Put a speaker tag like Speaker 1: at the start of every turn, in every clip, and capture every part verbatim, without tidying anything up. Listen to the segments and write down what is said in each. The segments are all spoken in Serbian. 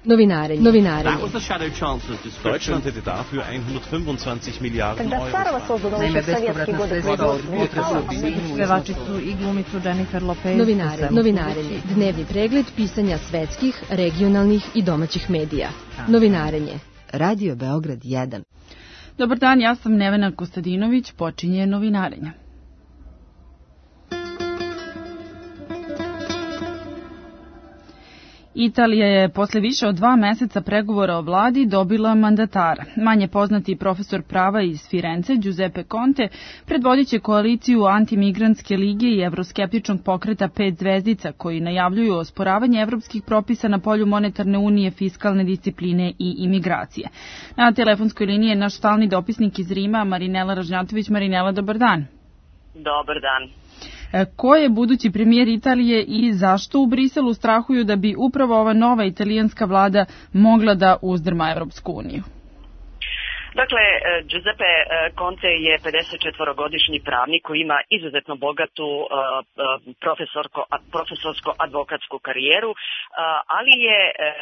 Speaker 1: Novinarenje. Novinarenje.
Speaker 2: Deutschland hätte dafür hundertfünfundzwanzig Miliarden Euro.
Speaker 3: Naime, bespovratna sredstva od potresa pevačicu i glumicu Jennifer Lopez.
Speaker 1: Novinare, novinarenje. Dnevni pregled pisanja svetskih, regionalnih i domaćih medija. Novinarenje. Radio Beograd jedan.
Speaker 4: Dobar dan, ja sam Nevena Kostadinović, počinje novinarenje. Italija je posle više od dva meseca pregovora o vladi dobila mandatara. Manje poznati profesor prava iz Firence, Giuseppe Conte, predvodit će koaliciju antimigrantske lige i evroskeptičnog pokreta Pet zvezdica, koji najavljuju osporavanje evropskih propisa na polju monetarne unije, fiskalne discipline i imigracije. Na telefonskoj liniji je naš stalni dopisnik iz Rima, Marinela Ražnjatović. Marinela, dobar dan.
Speaker 5: Dobar dan.
Speaker 4: Ko je budući premijer Italije i zašto u Briselu strahuju da bi upravo ova nova italijanska vlada mogla da uzdrma Evropsku uniju?
Speaker 5: Dakle, Giuseppe Conte je pedesetčetvorogodišnji pravnik koji ima izuzetno bogatu profesorsko-advokatsku karijeru, ali je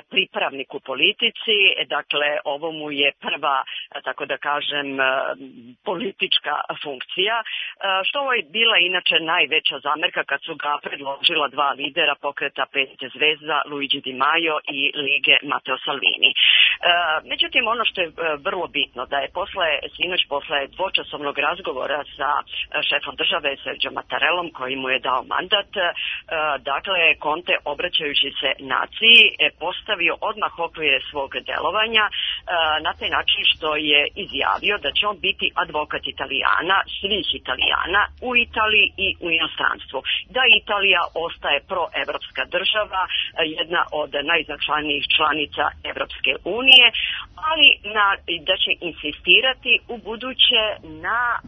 Speaker 5: pripravnik u politici, dakle ovo mu je prva, tako da kažem, politička funkcija, što je bila inače najveća zamerka kad su ga predložila dva lidera pokreta Pet zvezda, Luigi Di Maio i Lige Matteo Salvini. Međutim, ono što je vrlo bitno, da je posle, sinoć posle dvočasovnog razgovora sa šefom države Sergio Mattarellom, koji mu je dao mandat, dakle, Conte, obraćajući se naciji, postavio odmah okvire svog delovanja na taj način što je izjavio da će on biti advokat Italijana, svih Italijana u Italiji i u inostranstvu. Da Italija ostaje proevropska država, jedna od najznačajnijih članica Evropske unije, ali na, da će insistirati u buduće na um,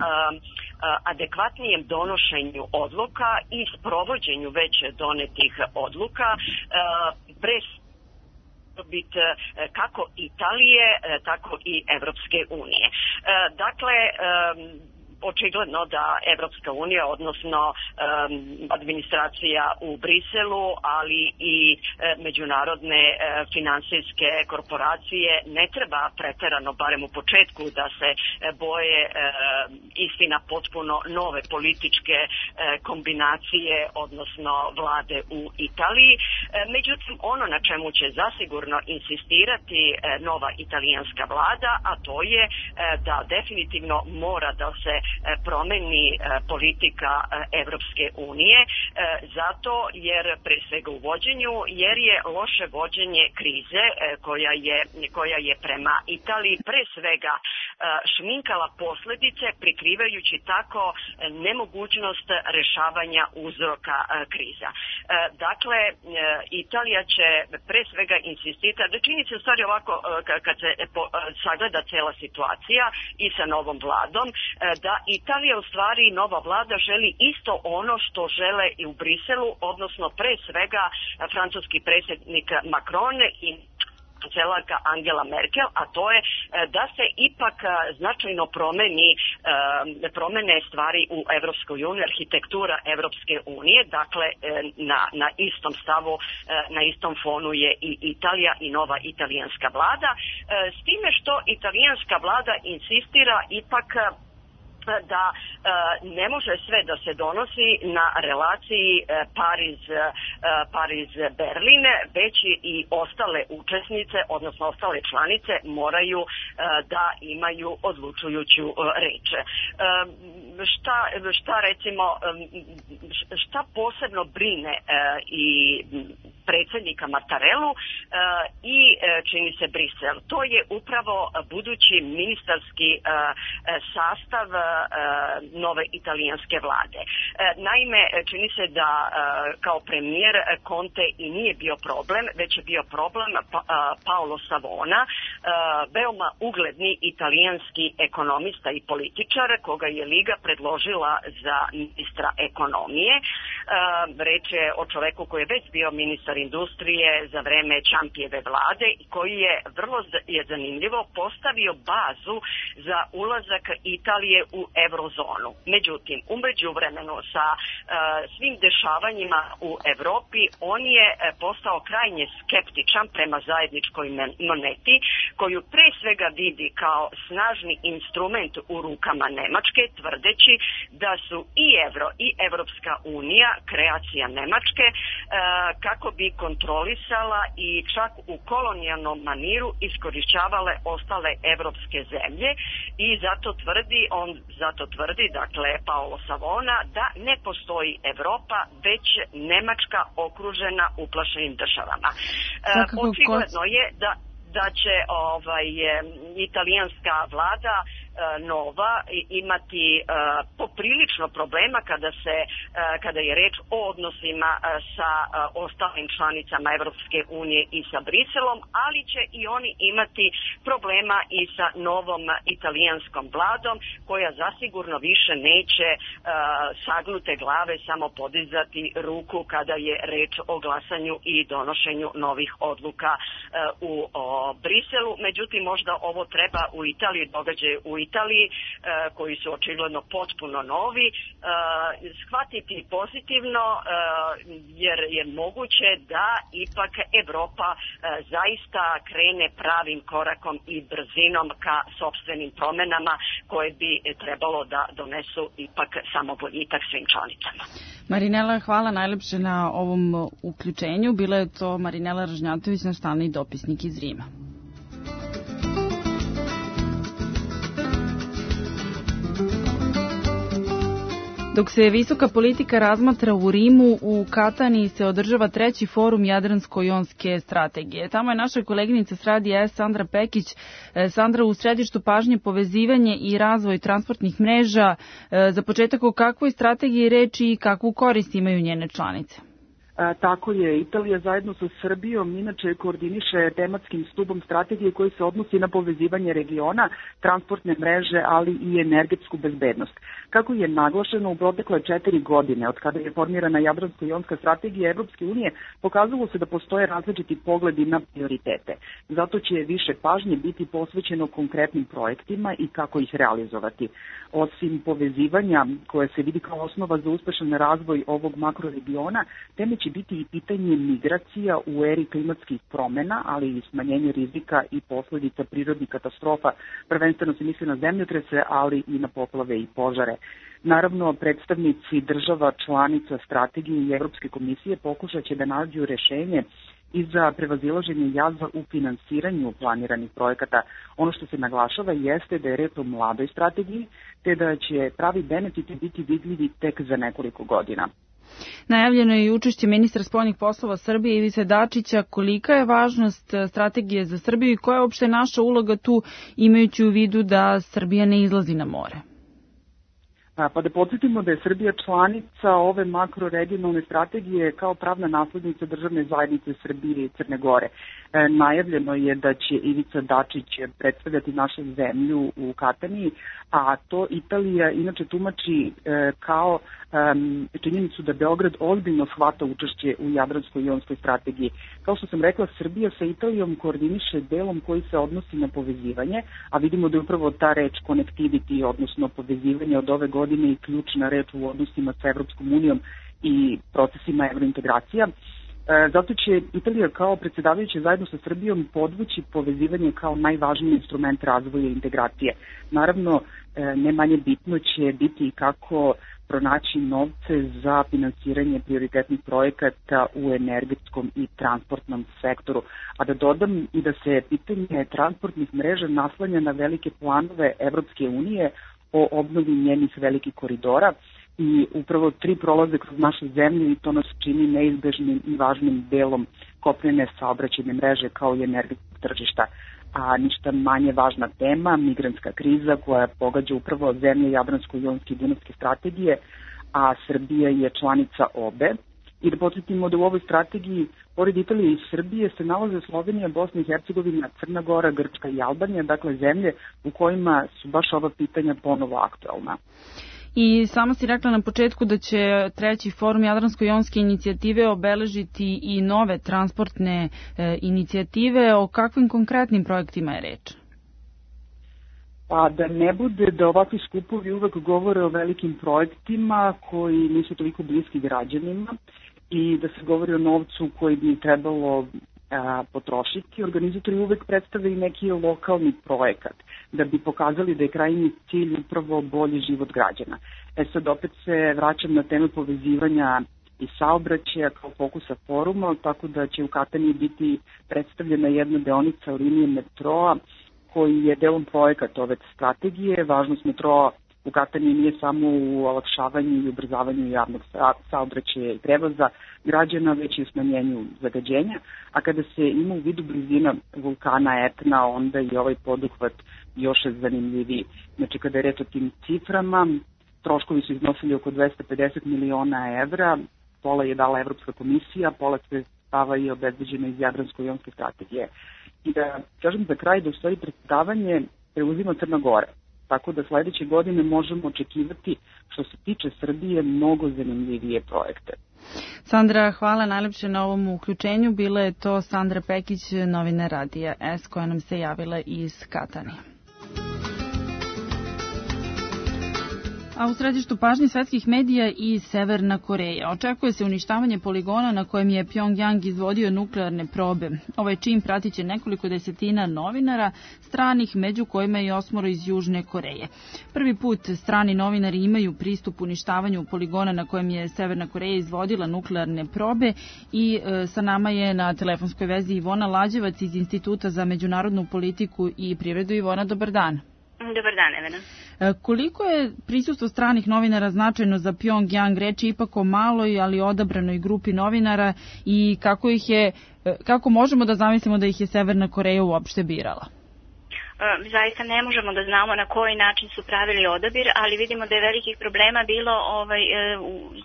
Speaker 5: adekvatnijem donošenju odluka i sprovođenju već donetih odluka uh, pre biti kako Italije, tako i Evropske unije. Uh, dakle, um, očigledno da Evropska unija, odnosno um, administracija u Briselu, ali i e, međunarodne e, finansijske korporacije ne treba preterano, barem u početku, da se e, boje e, istina potpuno nove političke e, kombinacije, odnosno vlade u Italiji. E, međutim, ono na čemu će zasigurno insistirati e, nova italijanska vlada, a to je e, da definitivno mora da se promeni politika Evropske unije, zato jer pre svega u vođenju, jer je loše vođenje krize koja je, koja je prema Italiji pre svega šminkala posledice, prikrivajući tako nemogućnost rešavanja uzroka kriza. Dakle, Italija će pre svega insistirati, da čini se u stvari ovako kad se sagleda cela situacija i sa novom vladom, da Italija, u stvari nova vlada, želi isto ono što žele i u Briselu, odnosno pre svega francuski predsjednik Macron i kancelarka Angela Merkel, a to je da se ipak značajno promeni, promene stvari u Evropskoj uniji, arhitektura Evropske unije, dakle na, na istom stavu, na istom fonu je i Italija i nova italijanska vlada, s time što italijanska vlada insistira ipak da e, ne može sve da se donosi na relaciji e, Pariz, e, Pariz-Berlin, već i ostale učesnice, odnosno ostale članice moraju e, da imaju odlučujuću e, reč. E, šta, šta recimo, šta posebno brine e, i predsjednika Mattarellu e, i e, čini se Brisel. To je upravo budući ministarski e, sastav e, nove italijanske vlade. E, naime, čini se da e, kao premijer Conte i nije bio problem, već je bio problem pa, a, Paolo Savona, e, veoma ugledni italijanski ekonomista i političar, koga je Liga predložila za ministra ekonomije. E, reč je o čoveku koji je već bio ministar ministar industrije za vreme Čampijeve vlade i koji je, vrlo je zanimljivo, postavio bazu za ulazak Italije u eurozonu. Međutim, u međuvremenu sa uh, svim dešavanjima u Evropi, on je postao krajnje skeptičan prema zajedničkoj moneti, koju pre svega vidi kao snažni instrument u rukama Nemačke, tvrdeći da su i evro i Evropska unija kreacija Nemačke uh, kako bi kontrolisala i čak u kolonijalnom maniru iskorišćavale ostale evropske zemlje i zato tvrdi, on zato tvrdi, dakle Paolo Savona, da ne postoji Evropa, već Nemačka okružena uplašenim državama. Uh, očigledno je da da će ovaj italijanska vlada nova imati uh, poprilično problema kada se uh, kada je reč o odnosima uh, sa uh, ostalim članicama Evropske unije i sa Briselom, ali će i oni imati problema i sa novom italijanskom vladom, koja zasigurno više neće uh, sagnute glave samo podizati ruku kada je reč o glasanju i donošenju novih odluka uh, u o, Briselu. Međutim, možda ovo treba u Italiji, događaje u Italiji, koji su očigledno potpuno novi, shvatiti pozitivno, jer je moguće da ipak Evropa zaista krene pravim korakom i brzinom ka sopstvenim promenama koje bi trebalo da donesu ipak samo boljitak svim članicama.
Speaker 4: Marinela, hvala najlepše na ovom uključenju. Bila je to Marinela Ražnjatović, naš stalni dopisnik iz Rima. Dok se visoka politika razmatra u Rimu, u Kataniji se održava treći forum Jadransko-jonske strategije. Tamo je naša koleginica s radija S, Sandra Pekić. Sandra, u središtu pažnje povezivanje i razvoj transportnih mreža. Za početak, o kakvoj strategiji reči i kakvu korist imaju njene članice?
Speaker 6: A, tako je, Italija zajedno sa Srbijom inače koordiniše tematskim stubom strategije koji se odnosi na povezivanje regiona, transportne mreže, ali i energetsku bezbednost. Kako je naglašeno u protekle četiri godine, od kada je formirana Jadransko-jonska strategija Evropske unije, pokazalo se da postoje različiti pogledi na prioritete. Zato će više pažnje biti posvećeno konkretnim projektima i kako ih realizovati. Osim povezivanja, koje se vidi kao osnova za uspešan razvoj ovog makroregiona, teme će biti i pitanje migracija u eri klimatskih promena, ali i smanjenje rizika i posledica prirodnih katastrofa. Prvenstveno se misli na zemljotrese, ali i na poplave i požare. Naravno, predstavnici država članica strategije i Evropske komisije pokušat će da nađu rešenje i za prevazilaženje jaza u finansiranju planiranih projekata. Ono što se naglašava jeste da je reč o mladoj strategiji, te da će pravi benefiti biti vidljivi tek za nekoliko godina.
Speaker 4: Najavljeno je i učešće ministra spoljnih poslova Srbije Ivice Dačića. Kolika je važnost strategije za Srbiju i koja je uopšte naša uloga tu, imajući u vidu da Srbija ne izlazi na more?
Speaker 6: Pa da podsjetimo da je Srbija članica ove makroregionalne strategije kao pravna naslednica državne zajednice Srbije i Crne Gore. E, najavljeno je da će Ivica Dačić predstavljati našu zemlju u Kataniji, a to Italija inače tumači e, kao e, činjenicu da Beograd ozbiljno shvata učešće u Jadransko-jonskoj strategiji. Kao što sam rekla, Srbija sa Italijom koordiniše delom koji se odnosi na povezivanje, a vidimo da je upravo ta reč connectivity, odnosno povezivanje od ove godine i ključna reč u odnosima sa Evropskom unijom i procesima evrointegracija. E, zato će Italija kao predsjedavajuća zajedno sa Srbijom podvući povezivanje kao najvažniji instrument razvoja i integracije. Naravno, e, ne manje bitno će biti kako pronaći novce za finansiranje prioritetnih projekata u energetskom i transportnom sektoru. A da dodam i da se pitanje transportnih mreža naslanja na velike planove Evropske unije o obnovi njenih velikih koridora i upravo tri prolaze kroz našu zemlju i to nas čini neizbežnim i važnim delom kopnene saobraćajne mreže kao i energetskog tržišta. A ništa manje važna tema, migrantska kriza koja pogađa upravo zemlje Jadransko-jonske i Dunavske strategije, a Srbija je članica obe. I da podsjetimo da u ovoj strategiji, pored Italije i Srbije, se nalaze Slovenija, Bosna i Hercegovina, Crna Gora, Grčka i Albanija, dakle zemlje u kojima su baš ova pitanja ponovo aktualna.
Speaker 4: I samo si rekla na početku da će treći forum Jadransko-jonske inicijative obeležiti i nove transportne e, inicijative. O kakvim konkretnim projektima je reč?
Speaker 6: Pa da ne bude da ovakvi skupovi uvek govore o velikim projektima koji nisu toliko bliski građanima i da se govori o novcu koji bi trebalo a, potrošiti. Organizatori uvek predstavljaju neki lokalni projekat da bi pokazali da je krajnji cilj upravo bolji život građana. E sad opet se vraćam na temu povezivanja i saobraćaja kao fokusa foruma, tako da će u Kataniji biti predstavljena jedna deonica linije metroa koji je delom projekat ove strategije. Važnost metroa u Kataniji nije samo u olakšavanju i ubrzavanju javnog saobraćaja i prevoza građana, već i u smanjenju zagađenja, a kada se ima u vidu blizina vulkana Etna, onda je ovaj poduhvat još zanimljiviji. Znači, kada je reč o tim ciframa, troškovi su iznosili oko dvesta pedeset miliona evra, pola je dala Evropska komisija, pola sredstava je obezbeđeno iz Jadransko-jonske strategije. I da kažem za kraj da u stvari predstavanje preuzima Crna Gora. Tako da sledeće godine možemo očekivati, što se tiče Srbije, mnogo zanimljivije projekte.
Speaker 4: Sandra, hvala najlepše na ovom uključenju. Bila je to Sandra Pekić, novinar Radija S, koja nam se javila iz Katanije. A u središtu pažnje svetskih medija i Severna Koreja. Očekuje se uništavanje poligona na kojem je Pjongjang izvodio nuklearne probe. Ovaj čin pratit će nekoliko desetina novinara stranih, među kojima je i osmoro iz Južne Koreje. Prvi put strani novinari imaju pristup uništavanju poligona na kojem je Severna Koreja izvodila nuklearne probe i e, sa nama je na telefonskoj vezi Ivona Lađevac iz Instituta za međunarodnu politiku i privredu. Ivona, dobar dan.
Speaker 7: Dobar dan, Evena.
Speaker 4: Koliko je prisustvo stranih novinara značajno za Pjongjang? Reč je ipak o maloj, ali odabranoj grupi novinara i kako ih je, kako možemo da zamislimo da ih je Severna Koreja uopšte birala?
Speaker 7: Zaista ne možemo da znamo na koji način su pravili odabir, ali vidimo da je velikih problema bilo ovaj,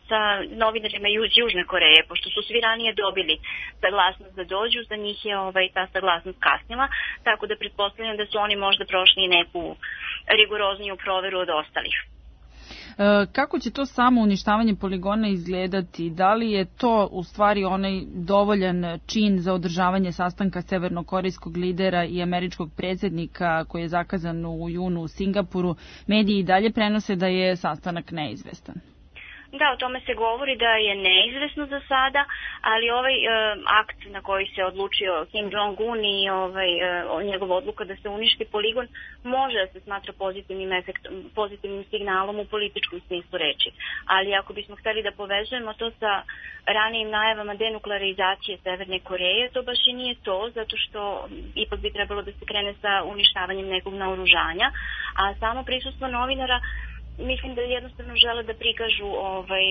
Speaker 7: sa novinarima iz Južne Koreje, pošto su svi ranije dobili saglasnost da dođu, za njih je ovaj, ta saglasnost kasnila, tako da pretpostavljam da su oni možda prošli neku rigorozniju proveru od ostalih.
Speaker 4: Kako će to samo uništavanje poligona izgledati? Da li je to u stvari onaj dovoljan čin za održavanje sastanka severnokorejskog lidera i američkog predsjednika koji je zakazan u junu u Singapuru? Mediji i dalje prenose da je sastanak neizvestan.
Speaker 7: Da, o tome se govori da je neizvesno za sada, ali ovaj e, akt na koji se odlučio Kim Jong-un i ovaj, e, njegova odluka da se uništi poligon može da se smatra pozitivnim, efektom, pozitivnim signalom u političkom smislu reči. Ali ako bismo hteli da povežemo to sa ranijim najavama denuklearizacije Severne Koreje, to baš i nije to, zato što ipak bi trebalo da se krene sa uništavanjem nekog naoružanja, a samo prisustvo novinara mislim da jednostavno žele da prikažu ovaj,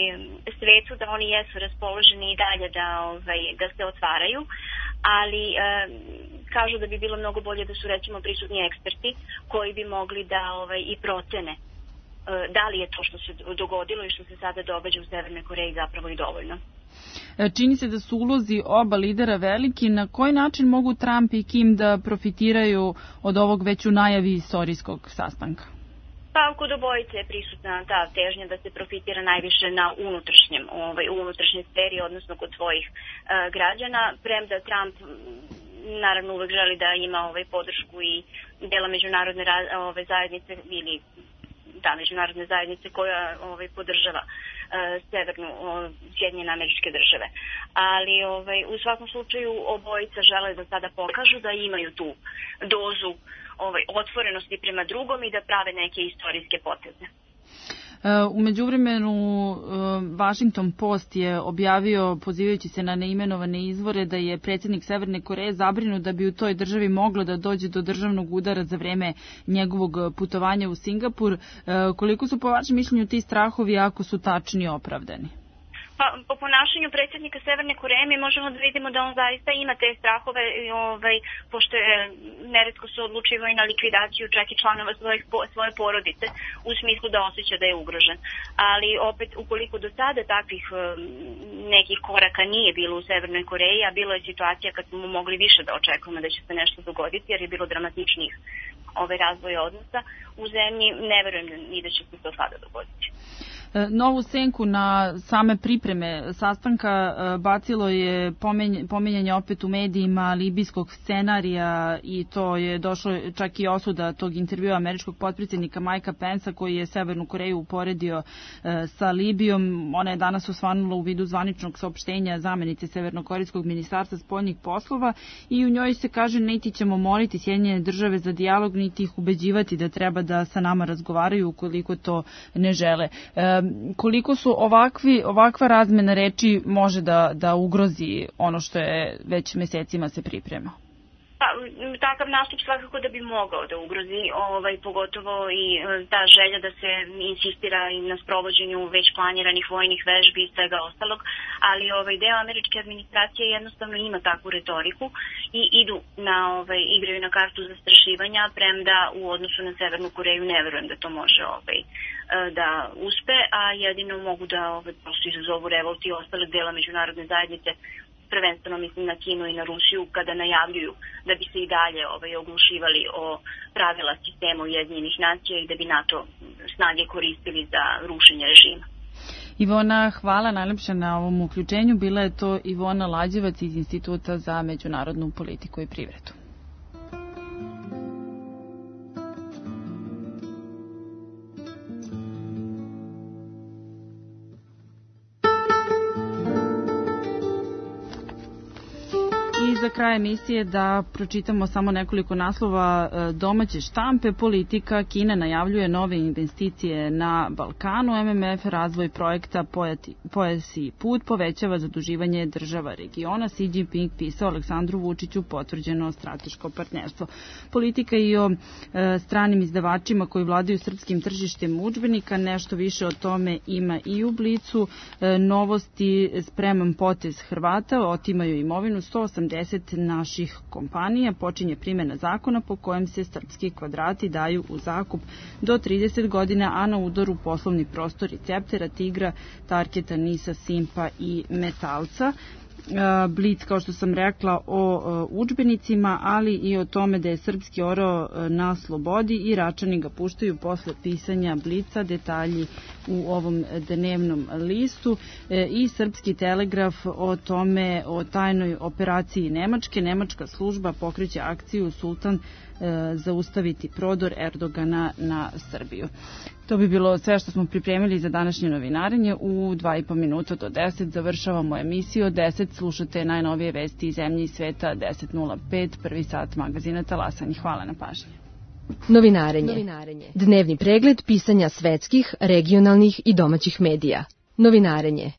Speaker 7: svetu da oni jesu raspoloženi i dalje da, ovaj, da se otvaraju, ali e, kažu da bi bilo mnogo bolje da su recimo prisutni eksperti koji bi mogli da ovaj, i procene e, da li je to što se dogodilo i što se sada događa u Severnoj Koreji zapravo i dovoljno.
Speaker 4: Čini se da su ulozi oba lidera veliki. Na koji način mogu Trump i Kim da profitiraju od ovog već u najavi istorijskog sastanka?
Speaker 7: Pa kod obojice je prisutna ta težnja da se profitira najviše na unutrašnjem, ovaj, u unutrašnjoj sferi, odnosno kod svojih e, građana, premda Trump naravno uvek želi da ima ovaj, podršku i dela međunarodne ovaj, zajednice ili da, međunarodne zajednice koja ovaj, podržava e, severnu o, Sjedinjene Američke Države. Ali ovaj, u svakom slučaju obojica žele da sada pokažu da imaju tu dozu ovaj, otvorenosti prema drugom i da prave neke istorijske poteze.
Speaker 4: U međuvremenu Washington Post je objavio, pozivajući se na neimenovane izvore, da je predsjednik Severne Koreje zabrinut da bi u toj državi moglo da dođe do državnog udara za vreme njegovog putovanja u Singapur. Koliko su po vašem mišljenju ti strahovi, ako su tačni i opravdani?
Speaker 7: Pa, po ponašanju predsjednika Severne Koreje mi možemo da vidimo da on zaista ima te strahove, ovaj, pošto je neretko se odlučivao i na likvidaciju čak i članova svojih, svoje porodice u smislu da osjeća da je ugrožen. Ali opet, ukoliko do sada takvih nekih koraka nije bilo u Severnoj Koreji, a bilo je situacija kad smo mogli više da očekujemo da će se nešto dogoditi, jer je bilo dramatičnijih ove razvoje odnosa u zemlji, ne verujem ni da će se to sada dogoditi.
Speaker 4: Novu senku na same pripreme sastanka bacilo je pominjanje opet u medijima libijskog scenarija i to je došlo čak i osuda tog intervjua američkog potpredsjednika Majka Pensa koji je Severnu Koreju uporedio sa Libijom. Ona je danas osvanula u vidu zvaničnog saopštenja zamenice Severnokorejskog ministarstva spoljnih poslova i u njoj se kaže niti ćemo moliti Sjedinjene države za dijalog, niti ih ubeđivati da treba da sa nama razgovaraju ukoliko to ne žele. Koliko su ovakvi, ovakva razmena reči može da, da ugrozi ono što je već mesecima se priprema?
Speaker 7: Pa, takav nastup svakako da bi mogao da ugrozi, ovaj, pogotovo i ta želja da se insistira i na sprovođenju već planiranih vojnih vežbi i svega ostalog, ali ovaj, deo američke administracije jednostavno ima takvu retoriku i idu na, ovaj, igraju na kartu zastrašivanja, premda u odnosu na Severnu Koreju ne verujem da to može ovaj, da uspe, a jedino mogu da ovaj, prosto izazovu revolt i ostalog dela međunarodne zajednice, prvenstveno mislim na Kinu i na Rusiju, kada najavljuju da bi se i dalje ovaj, oglušivali o pravila sistema Ujedinjenih nacija i da bi NATO snage koristili za rušenje režima.
Speaker 4: Ivona, hvala najlepše na ovom uključenju. Bila je to Ivona Lađevac iz Instituta za međunarodnu politiku i privredu. Za kraj emisije da pročitamo samo nekoliko naslova domaće štampe. Politika, Kina najavljuje nove investicije na Balkanu, M M F razvoj projekta Pojas i put povećava zaduživanje država regiona, Xi Jinping pisao Aleksandru Vučiću potvrđeno strateško partnerstvo. Politika i o e, stranim izdavačima koji vladaju srpskim tržištem udžbenika, nešto više o tome ima i u Blicu. E, novosti, spreman potez Hrvata, otimaju imovinu sto osamdeset naših kompanija, počinje primjena zakona po kojem se srpski kvadrati daju u zakup do trideset godina, a na udaru poslovni prostori Ceptera, Tigra, Tarketa, Nisa, Simpa i Metalca. Blic, kao što sam rekla, o udžbenicima, ali i o tome da je srpski orao na slobodi i Račani ga puštaju posle pisanja Blica, detalji u ovom dnevnom listu i Srpski telegraf o tome, o tajnoj operaciji Nemačke. Nemačka služba pokreće akciju Sultan zaustaviti prodor Erdogana na Srbiju. To bi bilo sve što smo pripremili za današnje novinarenje. U dva i po minuta do deset završavamo emisiju. Od deset slušate najnovije vesti iz zemlje i sveta. deset nula pet, prvi sat magazina Talasani. Hvala na pažnji.
Speaker 1: Novinarenje. Novinarenje. Dnevni pregled pisanja svetskih, regionalnih i domaćih medija. Novinarenje.